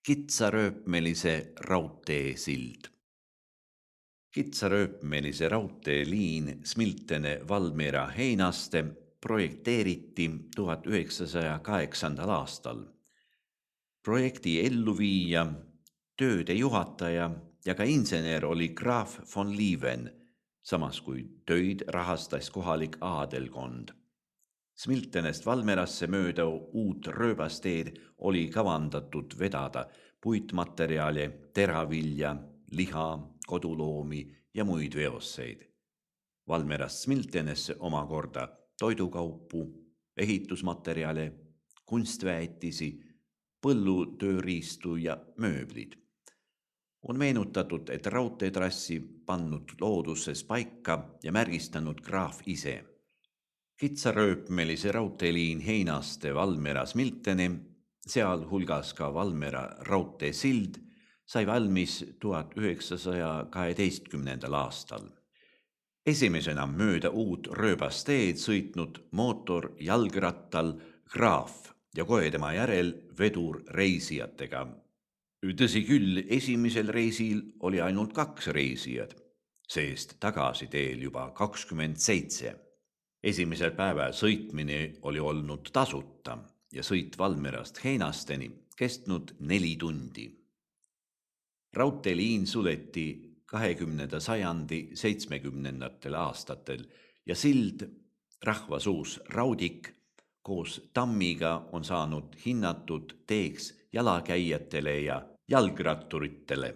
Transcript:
Kitsarööpmelise raudteesild. Kitsarööpmelise raudteeliin Smiltene-Valmiera Heinaste projekteeriti 1908. aastal. Projekti elluviija, tööde juhataja ja ka insener oli graaf von Lieven, samas kui töid rahastas kohalik aadelkond. Smiltenest Valmerasse mööda uut rööbasteed oli kavandatud vedada puitmaterjali, teravilja, liha, koduloomi ja muid veoseid. Valmerast Smiltenesse omakorda toidukaupu, ehitusmaterjale, kunstväetisi, põllutööriistu ja mööblid. On meenutatud, et raudteetrassi pannud looduses paika ja märgistanud graaf ise. Kitsarööpmelise raudteeliin Heinaste Valmera Smilteni, sealhulgas ka Valmera raudteesild, sai valmis 1912. aastal. Esimesena mööda uut rööbasteed sõitnud mootorjalgrattal graaf ja kohe tema järel vedur reisijatega. Tõsi küll, esimesel reisil oli ainult 2 reisijad, sest tagasiteel juba 27. Esimesel päeval sõitmine oli olnud tasuta ja sõit Valmerast Heinasteni kestnud 4 tundi. Raudteeliin suleti 20. sajandi 70. aastatel ja sild, rahvasuus Raudik, koos tammiga on saanud hinnatud teeks jalakäijatele ja jalgratturitele.